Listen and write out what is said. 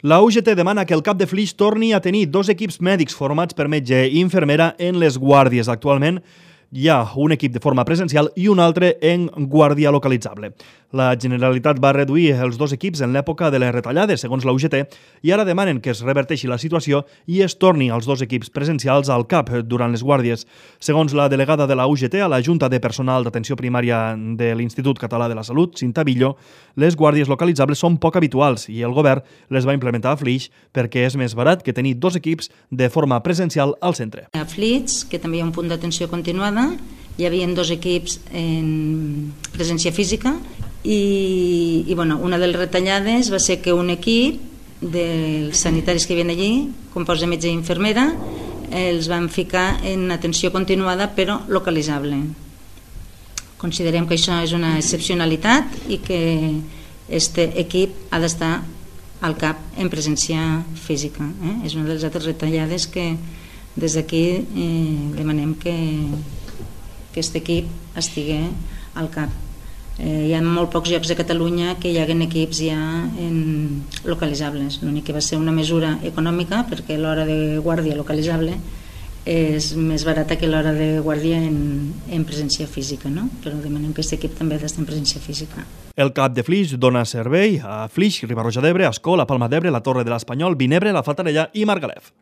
La UGT demana que el CAP de Flix torni a tenir 2 equips mèdics formats per metge i infermera en les guàrdies. Actualment hi ha un equip de forma presencial i un altre en guàrdia localitzable. La Generalitat va reduir els 2 equips en l'època de les retallades, segons la UGT, i ara demanen que es reverteixi la situació i es torni als 2 equips presencials al CAP durant les guàrdies. Segons la delegada de la UGT a la Junta de Personal d'Atenció Primària de l'Institut Català de la Salut, Cinta Billo, les guàrdies localitzables són poc habituals i el govern les va implementar a Flix perquè és més barat que tenir 2 equips de forma presencial al centre. A Flix, que també hi ha un punt d'atenció continuada, hi havia 2 equips en presència física i una de les retallades va ser que un equip dels sanitaris que hi havia allí, compost de metge i infermera, els van ficar en atenció continuada però localitzable. Considerem que això és una excepcionalitat i que aquest equip ha d'estar al CAP en presència física. És una de les altres retallades que des d'aquí demanem que aquest equip estigui al CAP. Hi ha molt pocs llocs de Catalunya que hi haguen equips ja localitzables. L'únic que va ser una mesura econòmica perquè l'hora de guàrdia localitzable és més barata que l'hora de guàrdia en presència física, no? Però demanem que aquest equip també ha d'estar en presència física. El CAP de Flix dona servei a Flix, Riba-roja d'Ebre, Ascó, la Palma d'Ebre, la Torre de l'Espanyol, Vinebre, la Fatarella i Margalef.